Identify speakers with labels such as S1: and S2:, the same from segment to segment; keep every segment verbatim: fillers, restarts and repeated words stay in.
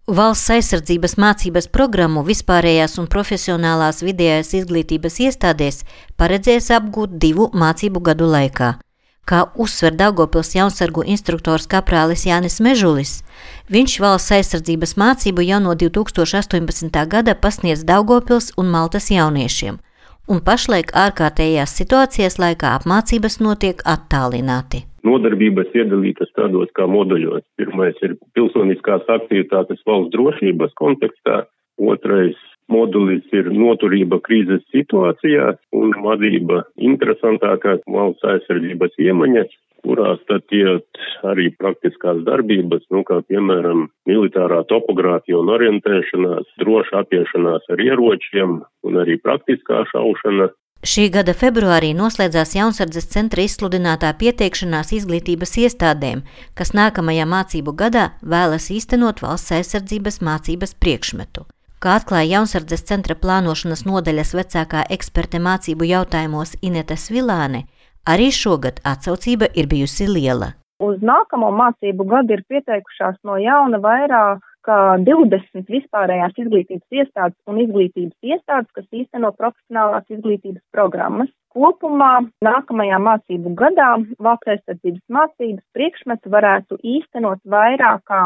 S1: Valsts aizsardzības mācības programmu vispārējās un profesionālās vidējās izglītības iestādēs paredzēs apgūt divu mācību gadu laikā. Kā uzsver Daugavpils jaunsargu instruktors kaprālis Jānis Mežulis, viņš valsts aizsardzības mācību jau no divi tūkstoši astoņpadsmitā gada pasniedz Daugavpils un Maltas jauniešiem, un pašlaik ārkārtējās situācijas laikā apmācības notiek attālināti.
S2: Nodarbības iedalītas tādos kā moduļos. Pirmais ir pilsoniskās aktivitātes valsts drošības kontekstā, otrais modulis ir noturība krīzes situācijās un vadība interesantākās valsts aizsardzības iemaņas, kurās tad iet arī praktiskās darbības, nu kā piemēram militārā topogrāfija un orientēšanās, droša apiešanās ar ieročiem un arī praktiskā šaušana.
S1: Šī gada februārī noslēdzās Jaunsardzes centra izsludinātā pieteikšanās izglītības iestādēm, kas nākamajā mācību gadā vēlas īstenot valsts aizsardzības mācības priekšmetu. Kā atklāja Jaunsardzes centra plānošanas nodaļas vecākā eksperte mācību jautājumos Ineta Svilāne, arī šogad atsaucība ir bijusi liela.
S3: Uz nākamo mācību gadu ir pieteikušās no jauna vairāk kā divdesmit vispārējās izglītības iestādes un izglītības iestādes, kas īsteno profesionālās izglītības programmas. Kopumā nākamajā mācību gadā valsts aizsardzības mācības priekšmetu varētu īstenot vairāk kā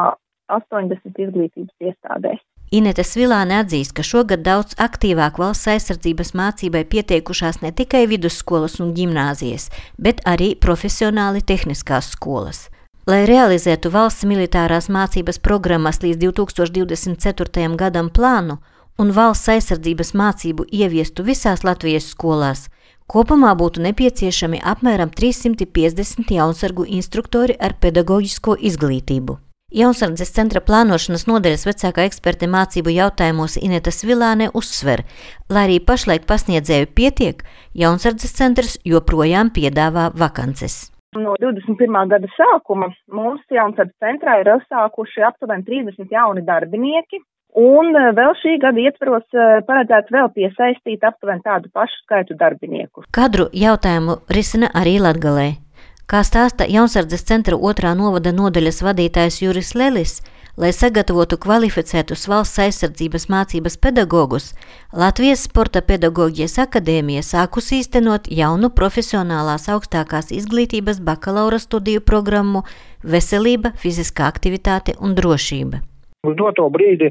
S3: astoņdesmit izglītības iestādēs.
S1: Ineta Svilāne atzīst, ka šogad daudz aktīvāk valsts aizsardzības mācībai pieteikušās ne tikai vidusskolas un ģimnāzijas, bet arī profesionāli tehniskās skolas. Lai realizētu valsts militārās mācības programmas līdz divi tūkstoši divdesmit ceturtajam gadam plānu un valsts aizsardzības mācību ieviestu visās Latvijas skolās, kopumā būtu nepieciešami apmēram trīssimti piecdesmit jaunsargu instruktori ar pedagoģisko izglītību. Jaunsardzes centra plānošanas nodaļas vecākā eksperte mācību jautājumos Ineta Svilāne uzsver, lai arī pašlaik pasniedzēju pietiek, Jaunsardzes centrs joprojām piedāvā vakances.
S3: No divdesmit pirmā gada sākuma mūsu Jaunsardzes centrā ir uzsākuši aptuveni trīsdesmit jauni darbinieki, un vēl šī gada ietvaros paredzēts vēl piesaistīt aptuveni tādu pašu skaitu darbinieku.
S1: Kadru jautājumu risina arī Latgalē. Kā stāsta Jaunsardzes centra otrā novada nodaļas vadītājs Juris Lelis, lai sagatavotu kvalificētus valsts aizsardzības mācības pedagogus, Latvijas Sporta pedagoģijas akadēmija sākus īstenot jaunu profesionālās augstākās izglītības bakalaura studiju programmu Veselība, fiziskā aktivitāte un drošība.
S4: Uz doto brīdi,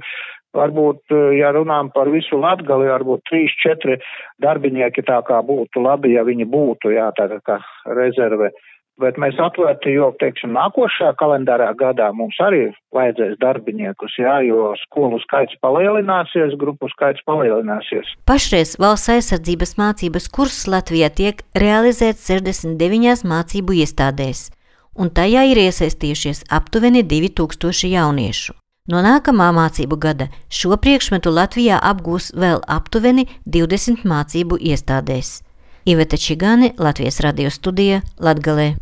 S4: varbūt, ja runājam par visu Latgali, varbūt trīs, četri darbinieki tā kā būtu labi, ja viņi būtu, jā, tā kā rezerve. Bet mēs atvērti, jo, teiksim, nākošajā kalendārā gadā mums arī vajadzēs darbiniekus, jā, jo skolu skaits palielināsies, grupu skaits palielināsies.
S1: Pašreiz valsts aizsardzības mācības kurss Latvijā tiek realizēts sešdesmit deviņās mācību iestādēs, un tajā ir iesaistījušies aptuveni divi tūkstoši jauniešu. No nākamā mācību gada šo priekšmetu Latvijā apgūs vēl aptuveni divdesmit mācību iestādēs. Iveta Čigāne, Latvijas radio studija, Latgalē.